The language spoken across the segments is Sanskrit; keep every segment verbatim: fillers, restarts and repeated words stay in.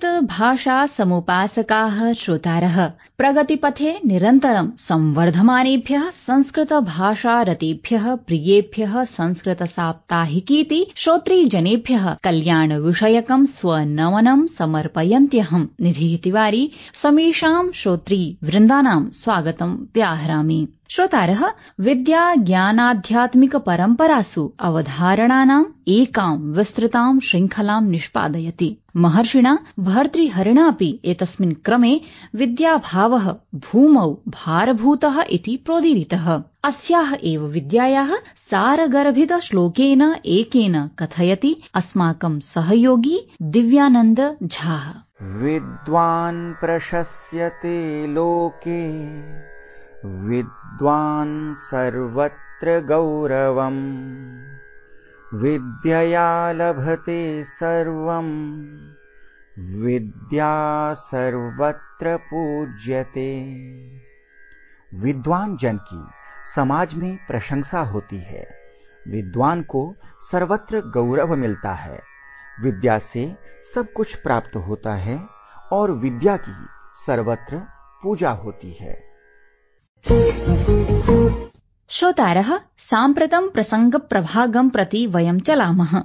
संस्कृत भाषा समुपासकाः श्रोतारः प्रगतिपथे निरन्तरं संवर्धमानेभ्यः संस्कृत भाषारतेभ्यः प्रियेभ्यः संस्कृत साप्ताहिकीति श्रोतृजनेभ्यः कल्याण विषयकं स्वनमनं समर्पयन्त्यहं निधिः तिवारी समेषां श्रोतृ वृन्दानां स्वागतं व्याहरामि। श्रोतारः विद्या ज्ञानाध्यात्मिक परम्परासु अवधारणानाम् एकां विस्तृतां श्रृङ्खलां निष्पादयति। महर्षिणा भर्तृहरिणापि एतस्मिन् क्रमे विद्याभावः भूमौ भारभूतः इति प्रोदीरितः। अस्याः एव विद्यायाः सारगर्भित श्लोकेन एकेन कथयति अस्माकं सहयोगी दिव्यानन्द झा। विद्वान् प्रशस्यते लोके विद्वान् सर्वत्र गौरवम् विद्यया लभते सर्वम् विद्या सर्वत्र पूज्यते। विद्वान जन की समाज में प्रशंसा होती है, विद्वान को सर्वत्र गौरव मिलता है, विद्या से सब कुछ प्राप्त होता है और विद्या की सर्वत्र पूजा होती है। श्रोतारः साम्प्रतं प्रसंग प्रभागं प्रति वयं चलामः।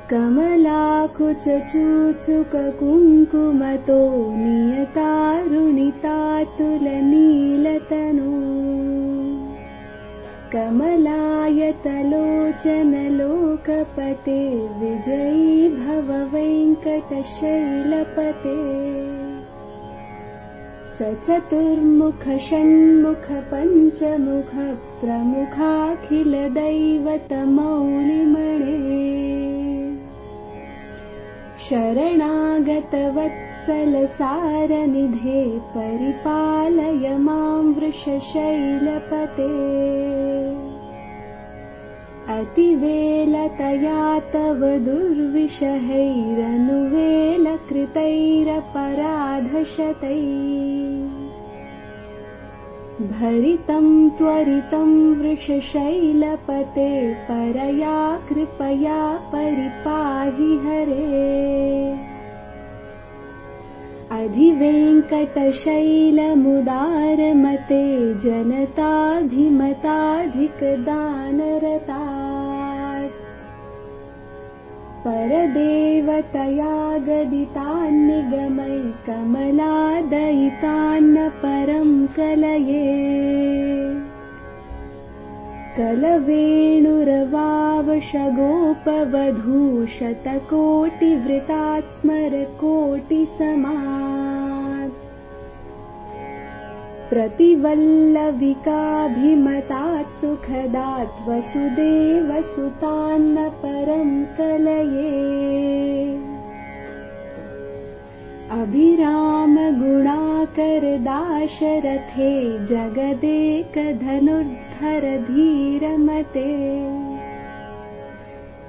कमलाकुच चूचुक कुङ्कुमतो नियतारुणितातुलनीलतनो कमलायतलोचन लोकपते विजयी भव वेङ्कटशैलपते। सचतुर्मुख षण्मुख पञ्चमुख प्रमुखाखिल दैवतमौलिमणे शरणागत वत्सल सारनिधे परिपालय मां वृषशैलपते। अतिवेलतया तव दुर्विषहैरनुवेलकृतैरपराधशतैः भरितं त्वरितं वृषशैलपते परया कृपया परिपाहि हरे। अधिवेङ्कटशैलमुदारमते जनताधिमताधिकदानरता परदेवतया गदितान्निगमै कमलादयितान्न परं कलये। कलवेणुरवावशगोपवधूशतकोटिवृतात् स्मरकोटिसमात् प्रतिवल्लविकाभिमतात् सुखदात् वसुदेवसुतान्न परं कलये। अभिराम गुणाकर दाशरथे जगदेक धनुर्धर धीरमते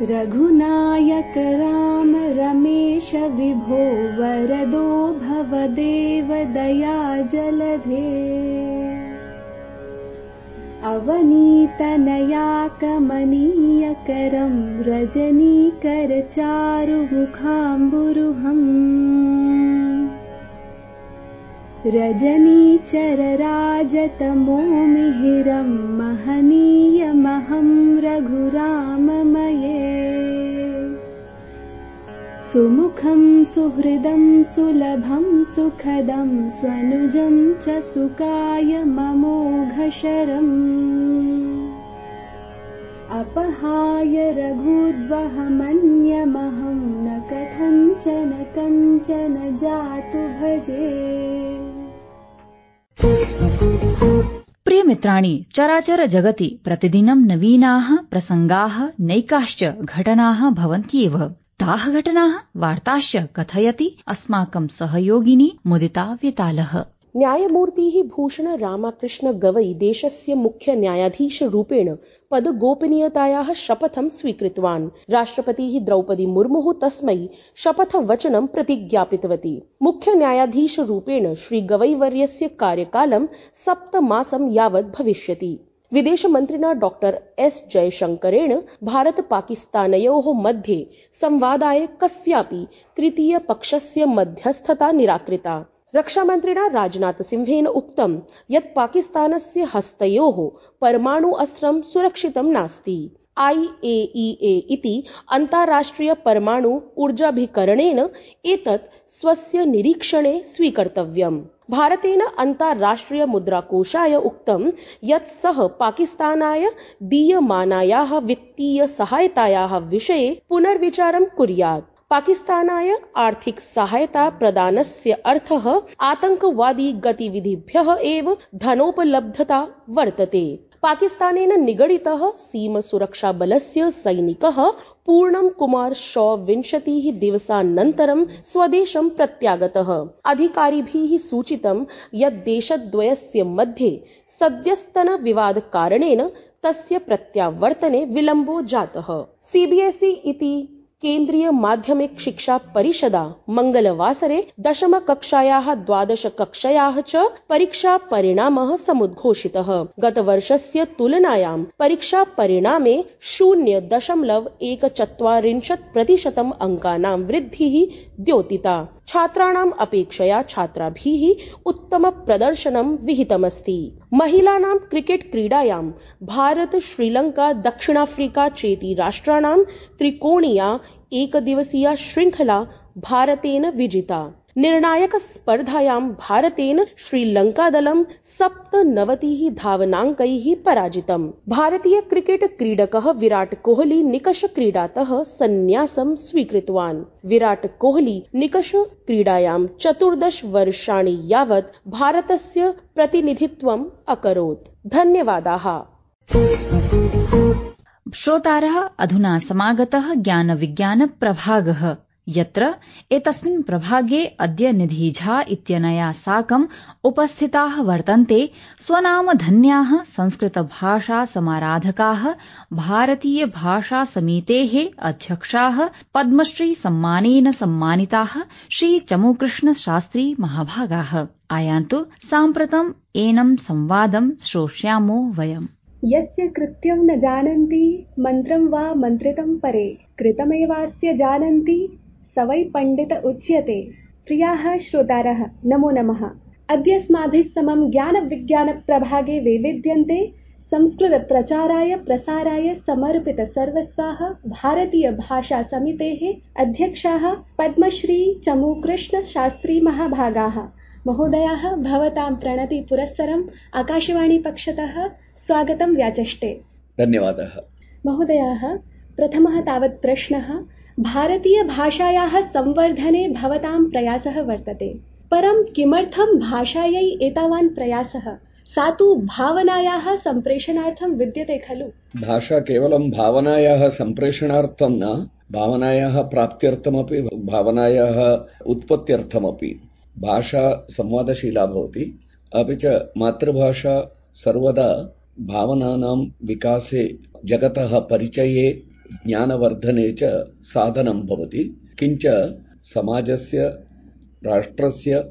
रघुनायक राम रमेश विभो वरदो भवदेव दया जलधे। अवनीतनया कमनीयकरं रजनीकर चारुमुखाम्बुरुहम् रजनीचरराजतमोमिहिरं महनीयमहं रघुराममये। सुमुखं सुहृदं सुलभं सुखदं स्वनुजं च सुकाय ममोघशरम् अपहाय रघुद्वहमन्यमहं न कथञ्चन कञ्चन जातु भजे। प्रिय मित्राणि, चराचर जगति प्रतिदिनं नवीनाः प्रसंगाः नैकाश्च घटनाः भवन्त्येव। ताः घटनाः वार्ताश्च कथयति अस्माकं सहयोगिनी मुदिता वेतालः। न्यायमूर्तिः भूषण रामकृष्ण गवई देशस्य मुख्य न्यायाधीश रूपेण पद गोपनीयतायाः शपथं स्वीकृतवान्। राष्ट्रपतिः द्रौपदी मुर्मुः तस्मै शपथवचनं प्रतिज्ञापितवती। मुख्य न्यायाधीश रूपेण श्री गवई वर्यस्य कार्यकालं सप्तमासं यावत् भविष्यति। विदेशमन्त्रिणा डॉक्टर एस जयशंकरेण भारत-पाकिस्तानयोः मध्ये संवादाय कस्यापि तृतीयपक्षस्य मध्यस्थता निराकृता। रक्षामन्त्रिणा राजनाथसिंहेन उक्तं यत् पाकिस्तानस्य हस्तयोः परमाणु अस्त्रं सुरक्षितं नास्ति। आई ए ई ए इति अन्ताराष्ट्रिय परमाणु ऊर्जाभिकरणेन एतत् स्वस्य निरीक्षणे स्वीकर्तव्यम्। भारतेन अन्ताराष्ट्रिय मुद्राकोषाय उक्तं यत् सः पाकिस्तानाय दीयमानायाः वित्तीय सहायतायाः विषये पुनर्विचारं कुर्यात्। पाकिस्तानाय आर्थिक सहायता प्रदानस्य अर्थः आतंकवादी गतिविधिभ्यः एव धनोपलब्धता वर्तते। पाकिस्तानेन निगडितः सीमसुरक्षाबलस्य सैनिकः पूर्णं कुमार षड्विंशतिः दिवसानन्तरं स्वदेशं प्रत्यागतः। अधिकारिभिः सूचितं यत् देशद्वयस्य मध्ये सद्यस्तन विवादकारणेन तस्य प्रत्यावर्तने विलम्बो जातः। सी बी एस ई इति केन्द्रीय माध्यमिक शिक्षा परिषदा मंगलवासरे दशम कक्षायाः द्वादश कक्षायाः च परीक्षा परिणामः समुद्घोषितः। गतवर्षस्य तुलनायां परीक्षा परिणामे शून्य दशमलव एक चत्वारिंशत् प्रतिशतम् अंकानां वृद्धिः द्योतिता। छात्राणाम् अपेक्षया छात्राभिः उत्तम प्रदर्शनं विहितमस्ति। महिलानां क्रिकेट क्रीडायां भारत श्रीलंका दक्षिणाफ्रिका चेति राष्ट्राणां त्रिकोणीया एकदिवसीया श्रृंखला भारतेन विजिता। निर्णायक स्पर्धायां भारतेन श्रीलंकादलं सप्तनवतिः धावनाङ्कैः पराजितम्। भारतीय क्रिकेट क्रीडकः विराट कोहली निकष क्रीडातः संन्यासं स्वीकृतवान्। विराट कोहली निकष क्रीडायां चतुर्दश वर्षाणि यावत् भारतस्य प्रतिनिधित्वम् अकरोत्। धन्यवादाः। श्रोतारः अधुना समागतः ज्ञान विज्ञान प्रभागः, यत्र एतस्मिन् प्रभागे अद्य निधि झा इत्यनया साकम् उपस्थिताः वर्तन्ते स्वनाम धन्याः संस्कृत भाषा समाराधकाः भारतीय भाषा समितेः अध्यक्षाः पद्मश्री सम्मानेन सम्मानिताः श्री चमुकृष्ण शास्त्री महाभागाः। आयान्तु साम्प्रतम् एनं संवादं श्रोष्यामो वयम्। यस्य कृत्यं न जानन्ति मन्त्रं वा मन्त्रितं परे कृतमेवास्य जानन्ति स वै पण्डित उच्यते। प्रियाः श्रोतारः, नमो नमः। अद्य अस्माभिः समं ज्ञान विज्ञान प्रभागे वैविध्यन्ते संस्कृत प्रचाराय प्रसाराय समर्पित सर्वस्वाः भारतीय भाषा समितेः अध्यक्षाः पद्मश्री चमुकृष्ण शास्त्री महाभागाः। महोदयाः, भवतां प्रणति पुरस्सरम् आकाशवाणी पक्षतः स्वागतं व्याचष्टे। धन्यवादः। महोदयाः, प्रथमः तावत् प्रश्नः, भारतीय भाषायाः संवर्धने भवतां प्रयासः वर्तते, परं किमर्थं भाषायै एतावान् प्रयासः? सा तु भावनायाः सम्प्रेषणार्थं विद्यते खलु? भाषा केवलं भावनायाः सम्प्रेषणार्थं न, भावनायाः प्राप्त्यर्थमपि भावनायाः उत्पत्त्यर्थमपि भाषा संवादशीला भवति। अपि च मातृभाषा सर्वदा भावनानां विकासे, जगतः परिचये, ज्ञानवर्धने च साधनं भवति। किञ्च समाजस्य, राष्ट्रस्य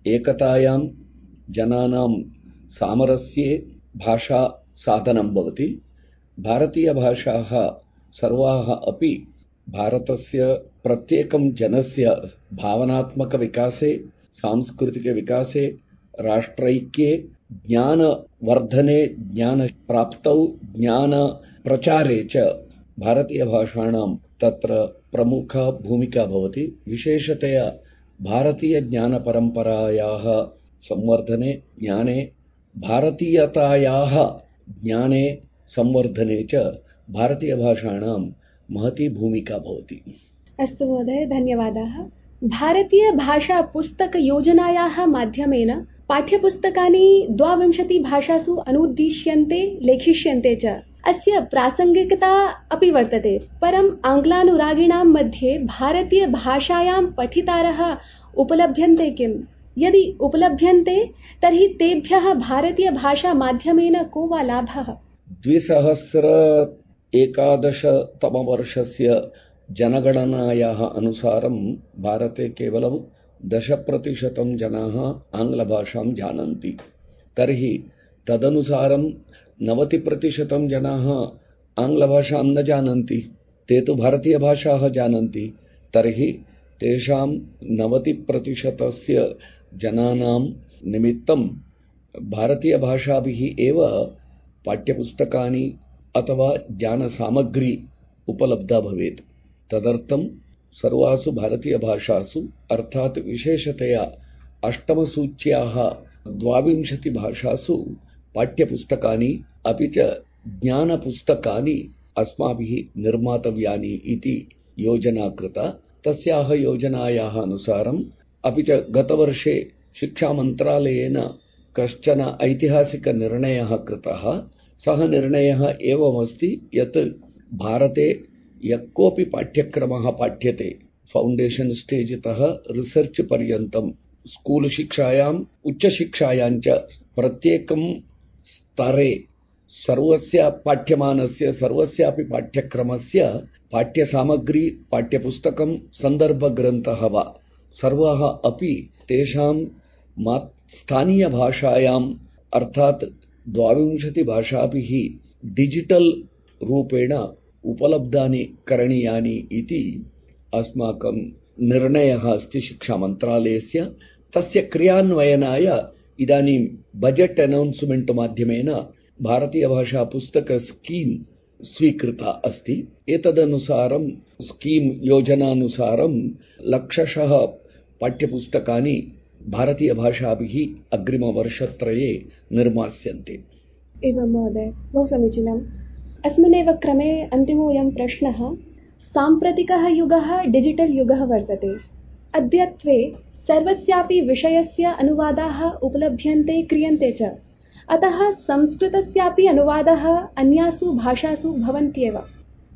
एकतायां, जनानां सामरस्ये भाषा साधनं भवति। भारतीयभाषाः सर्वाः अपि भारतस्य प्रत्येकं जनस्य भावनात्मकविकासे, सांस्कृतिकविकासे, राष्ट्रैक्ये, ज्ञानवर्धने, ज्ञानप्राप्तौ, ज्ञानप्रचारे च भारतीयभाषाणां तत्र प्रमुखा भूमिका भवति। विशेषतया भारतीयज्ञानपरम्परायाः संवर्धने, ज्ञाने, भारतीयतायाः ज्ञाने, संवर्धने च भारतीयभाषाणां महती भूमिका भवति। अस्तु महोदय, धन्यवादाः। भारतीय भाषा पुस्तक योजनायाः माध्यमेन पाठ्यपुस्तकानि द्वाविंशति भाषासु अनुद्दिश्यन्ते, लेखिष्यन्ते च। अस्य प्रासंगिकता अपि वर्तते, परम् आङ्ग्लानुरागिणां मध्ये भारतीय भाषायां पठितारः उपलभ्यन्ते किम्? यदि उपलभ्यन्ते तर्हि तेभ्यः भारतीय भाषा माध्यमेन को वा लाभः? द्विसहस्र एकादशतमवर्षस्य जनगणनायाः अनुसारं भारते केवलं दश प्रतिशतं जनाः आङ्ग्लभाषां जानन्ति। तर्हि तदनुसारं नवतिप्रतिशतं जनाः आङ्ग्लभाषां न जानन्ति, ते तु भारतीयभाषाः जानन्ति। तर्हि तेषां नवतिप्रतिशतस्य जनानां निमित्तं भारतीयभाषाभिः एव पाठ्यपुस्तकानि अथवा ज्ञानसामग्री उपलब्धा भवेत्। तदर्थं सर्वासु भारतीयभाषासु अर्थात् विशेषतया अष्टमसूच्याः द्वाविंशतिभाषासु पाठ्यपुस्तकानि अपि च ज्ञानपुस्तकानि अस्माभिः निर्मातव्यानि इति योजना कृता। तस्याः योजनायाः अनुसारम् अपि च गतवर्षे शिक्षामन्त्रालयेन कश्चन ऐतिहासिकनिर्णयः कृतः। सः निर्णयः एवमस्ति यत् भारते यः कोऽपि पाठ्यक्रमः पाठ्यते फौण्डेशन् स्टेज्तः रिसर्च् पर्यन्तं स्कूल् शिक्षायाम् उच्चशिक्षायां च प्रत्येकं स्तरे सर्वस्य पाठ्यमानस्य सर्वस्यापि पाठ्यक्रमस्य पाठ्यसामग्री, पाठ्यपुस्तकं, सन्दर्भग्रन्थः वा सर्वाः अपि तेषां स्थानीयभाषायाम् अर्थात् द्वाविंशतिभाषाभिः डिजिटल् रूपेण उपलब्धानि करणीयानि इति अस्माकं निर्णयः अस्ति शिक्षामन्त्रालयस्य। तस्य क्रियान्वयनाय इदानीं बजेट् अनौन्स्मेण्ट् माध्यमेन भारतीयभाषापुस्तक स्कीम् स्वीकृता अस्ति। एतदनुसारं स्कीम् योजनानुसारं लक्षशः पाठ्यपुस्तकानि भारतीयभाषाभिः अग्रिमवर्षत्रये निर्मास्यन्ते। एवं महोदय, बहु समीचीनम्। अस्मिन्नेव क्रमे अन्तिमोऽयं प्रश्नः। साम्प्रतिकः युगः डिजिटल् युगः वर्तते। अद्यत्वे सर्वस्यापि विषयस्य अनुवादाः उपलभ्यन्ते, क्रियन्ते च। अतः संस्कृतस्यापि अनुवादः अन्यासु भाषासु भवन्त्येव।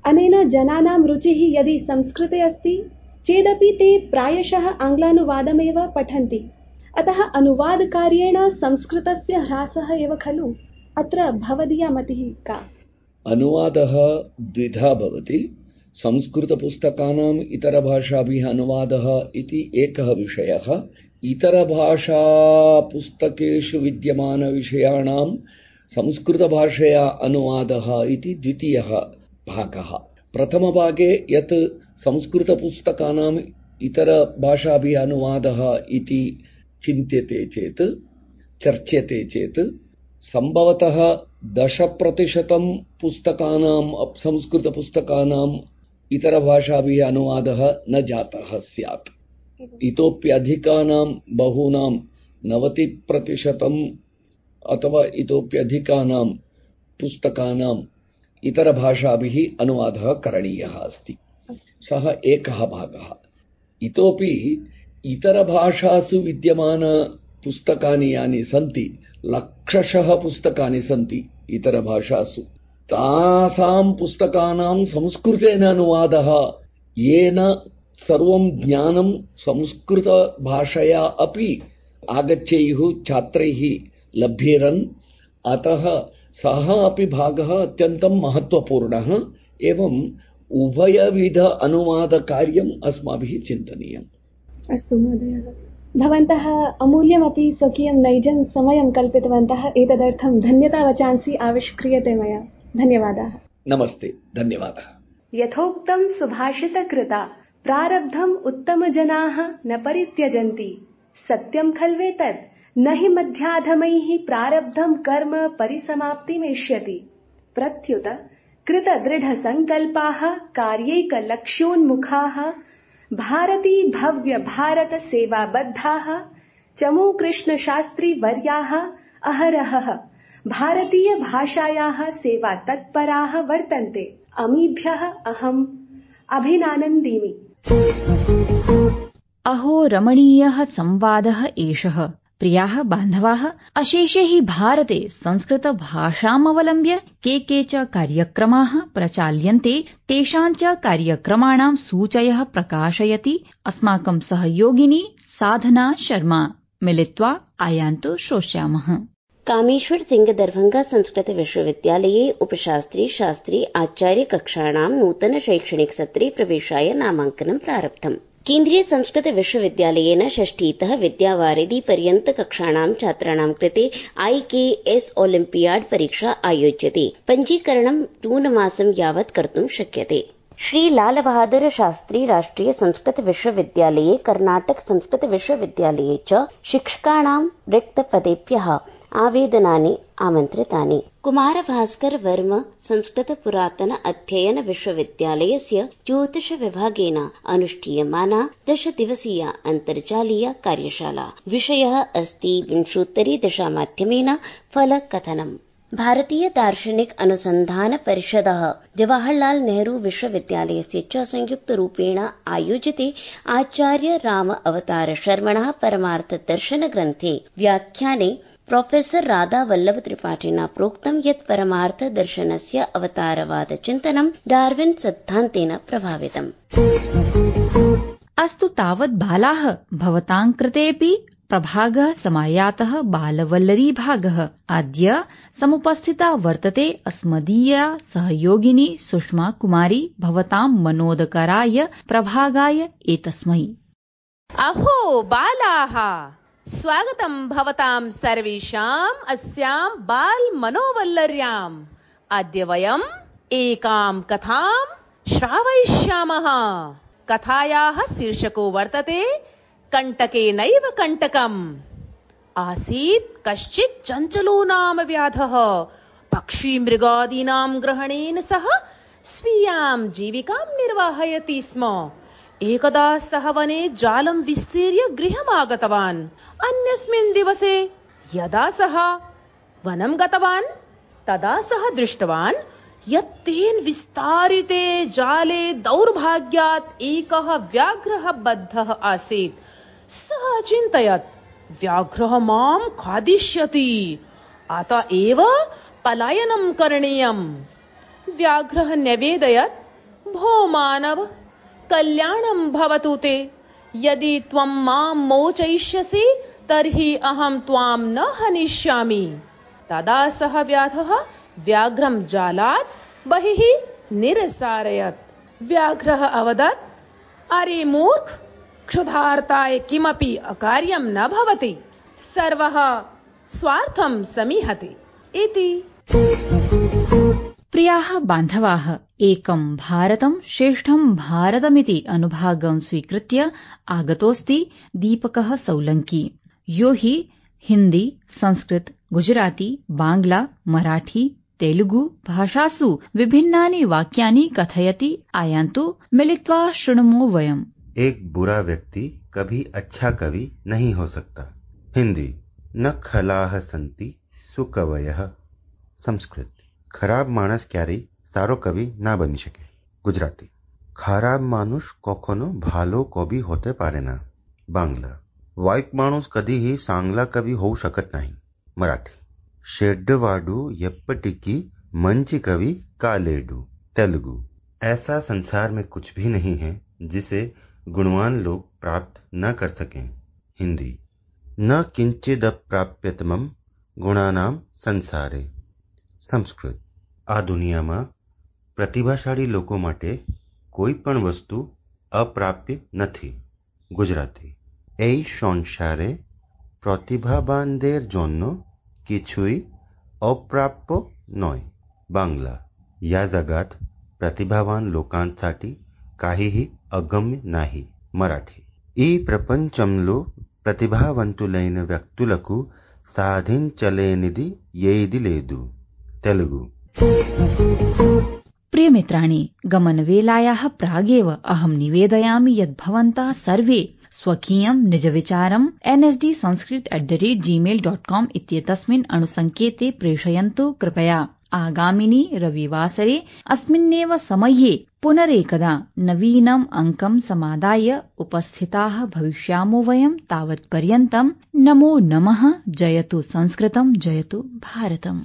अनेन जनानां रुचिः यदि संस्कृते अस्ति चेदपि ते प्रायशः आङ्ग्लानुवादमेव पठन्ति। अतः अनुवादकार्येण संस्कृतस्य ह्रासः एव खलु? अत्र भवदीया मतिः का? अनुवादः द्विधा भवति। संस्कृतपुस्तकानाम् इतरभाषाभिः अनुवादः इति एकः विषयः। इतरभाषापुस्तकेषु विद्यमानविषयाणां संस्कृतभाषया अनुवादः इति द्वितीयः भागः। प्रथमभागे यत् संस्कृतपुस्तकानाम् इतरभाषाभिः अनुवादः इति चिन्त्यते चेत्, चर्च्यते चेत्, सम्भवतः दशप्रतिशतं पुस्तकानां संस्कृतपुस्तकानाम् इतरभाषाभिः अनुवादः न जातः स्यात्। इतोप्यधिकानां बहूनां नवतिप्रतिशतम् अथवा इतोप्यधिकानां पुस्तकानाम् इतरभाषाभिः अनुवादः करणीयः अस्ति। सः एकः भागः। इतोपि इतरभाषासु विद्यमानपुस्तकानि यानि सन्ति, लक्षशः पुस्तकानि सन्ति इतरभाषासु। तासां पुस्तकानां संस्कृतेन अनुवादः येन सर्वं ज्ञानं संस्कृतभाषया अपि आगच्छेयुः छात्रैः लभ्येरन्। अतः सः अपि भागः अत्यन्तं महत्वपूर्णः। एवम् उभयविध अनुवादकार्यम् अस्माभिः चिन्तनीयम्। अस्तु महोदय, भवन्तः अमूल्यमपि स्वकीयं नैजं समयं कल्पितवन्तः। एतदर्थं धन्यतावचांसि आविष्क्रियते मया। धन्यवादाः। नमस्ते, धन्यवादः। यथोक्तं सुभाषितकृता प्रारब्धम् उत्तमजनाः न परित्यजन्ति। सत्यं खल्वेतत् न हि मध्याधमैः प्रारब्धं कर्म परिसमाप्तिमेष्यति। प्रत्युत कृतदृढसङ्कल्पाः कार्यैकलक्ष्योन्मुखाः भारती भव्य भारत सेवाबद्धाः चमू कृष्णशास्त्री वर्याः अहरहः भारतीय भाषायाः सेवा तत्पराः वर्तन्ते। अमीभ्यः अहम् अभिनानन्दीमि। अहो रमणीयः संवादः एषः। प्रियाः बान्धवाः, अशेषे हि भारते संस्कृतभाषामवलम्ब्य के के च कार्यक्रमाः प्रचाल्यन्ते, तेषां च कार्यक्रमाणां सूचयः प्रकाशयति अस्माकं सहयोगिनी साधना शर्मा। मिलित्वा आयान्तु श्रोष्यामः। कामेश्वर सिंह दरभंगा संस्कृत विश्वविद्यालये उपशास्त्री शास्त्री आचार्य कक्षाणां नूतन शैक्षणिक सत्रे प्रवेशाय नामाङ्कनं प्रारब्धम्। केन्द्रीय संस्कृत विश्वविद्यालयेन षष्ठीतः विद्यावारिधि पर्यन्त कक्षाणां छात्राणां कृते आई के एस ओलिम्पियाड परीक्षा आयोज्यते। पञ्जीकरणं जून मासं यावत् कर्तुं शक्यते। श्री लाल बहादुर शास्त्री राष्ट्रिय संस्कृत विश्वविद्यालये कर्नाटक संस्कृत विश्वविद्यालये च शिक्षकाणां रिक्तपदेभ्यः आवेदनानि आमन्त्रितानि। कुमार भास्कर वर्म संस्कृत पुरातन अध्ययन विश्वविद्यालयस्य ज्योतिष विभागेन अनुष्ठीयमाना दश दिवसीया अन्तर्जालीया कार्यशाला। विषयः अस्ति विंशोत्तरी दशामाध्यमेन फलकथनम्। भारतीय दार्शनिक अनुसंधान परिषदः जवाहरलाल नेहरू विश्वविद्यालयस्य च संयुक्तरूपेण आयोजिते आचार्य राम अवतार शर्मणः परमार्थ दर्शन ग्रन्थे व्याख्याने प्रोफेसर राधा वल्लभ त्रिपाठिना प्रोक्तं यत् परमार्थ दर्शनस्य अवतारवाद चिन्तनं डार्विन सिद्धान्तेन प्रभावितम्। अस्तु तावत् बालाः भवतां कृतेऽपि प्रभागः समायातः बालवल्लरी भागः। अद्य समुपस्थिता वर्तते अस्मदीया सहयोगिनी सुषमा कुमारी भवतां मनोदकराय प्रभागाय एतस्मै। अहो बालाः, स्वागतं भवतां सर्वेषाम् अस्यां बाल मनोवल्लर्याम्। अद्य वयम् एकां कथां श्रावयिष्यामः। कथायाः शीर्षको वर्तते कण्टके नैव कण्टकम्। आसीत् कश्चित् चञ्चलो नाम व्याधः पक्षी मृगादीनां ग्रहणेन सह स्वीयां जीविकां निर्वाहयति स्म। एकदा सः वने जालं विस्तीर्य गृहमागतवान्। अन्यस्मिन् दिवसे यदा सः वनं गतवान् तदा सः दृष्टवान् यत् तेन विस्तारिते जाले दौर्भाग्यात् एकः व्याघ्रः बद्धः आसीत्। सः अचिन्तयत् व्याघ्रः मां खादिष्यति, अतः एव पलायनं करणीयम्। व्याघ्रः न्यवेदयत्, भो मानव, कल्याणं भवतु ते। यदि त्वं मां मोचयिष्यसि तर्हि अहं त्वां न हनिष्यामि। तदा सः व्याधः व्याघ्रं जालात् बहिः निरसारयत्। व्याघ्रः अवदत्, अरे मूर्ख, क्षुधार्ताय किमपि अकार्यं न भवति, सर्वः स्वार्थं समीहते इति। प्रियाः बान्धवाः, एकं भारतं श्रेष्ठं भारतमिति अनुभागं स्वीकृत्य आगतोऽस्ति दीपकः सौलङ्की, यो हि हिन्दी, संस्कृत, गुजराती, बांग्ला, मराठी, तेलुगु भाषासु विभिन्नानि वाक्यानि कथयति। आयान्तु मिलित्वा शृणुमो वयम्। एक बुरा व्यक्ति कभी अच्छा कवि नहीं हो सकता। हिंदी, न खलाह संति सुकवयः। संस्कृत, खराब मानस क्यारी सारो कवि ना बनी सके। गुजराती, खराब मानुष कखनो भालो कवि होते पारे ना। बांग्ला, वाईट मानुष कधी ही सांगला कवि हो शकत नहीं। मराठी, शेड्डवाडू यप्पटिकी मंची कवि कालेडू। तेलुगु, ऐसा संसार में कुछ भी नहीं है जिसे गुणवान लोग प्राप्त न कर सकें। हिंदी, न किंचिदप्राप्यतमं गुणानां संसारे। संस्कृत, आ दुनियाમાં પ્રતિભાશાળી લોકો માટે કોઈ પણ વસ્તુ અપ્રાપ્ય નથી। ગુજરાતી, এই সংসারে প্রতিভাবানদের জন্য কিছুই অপ্রাপ্য নয়। बांगला, या जगात प्रतिभावान लोकांसाठी काहीही अगम्य नाही। मराठी, ఈ ప్రపంచంలో ప్రతిభావంతులైన వ్యక్తులకు సాధించలేనిది ఏది లేదు। तेलुगु, प्रियमित्राणि, गमनवेलायाः प्रागेव अहं निवेदयामि यत् भवन्तः सर्वे स्वकीयं निजविचारम् N S D Sanskrit at the rate Gmail dot com इत्येतस्मिन् अणुसङ्केते प्रेषयन्तु कृपया। आगामिनि रविवासरे अस्मिन्नेव समये पुनरेकदा नवीनम् अङ्कं समादाय उपस्थिताः भविष्यामो वयम्। तावत्पर्यन्तम् नमो नमः। जयतु संस्कृतम्, जयतु भारतम्।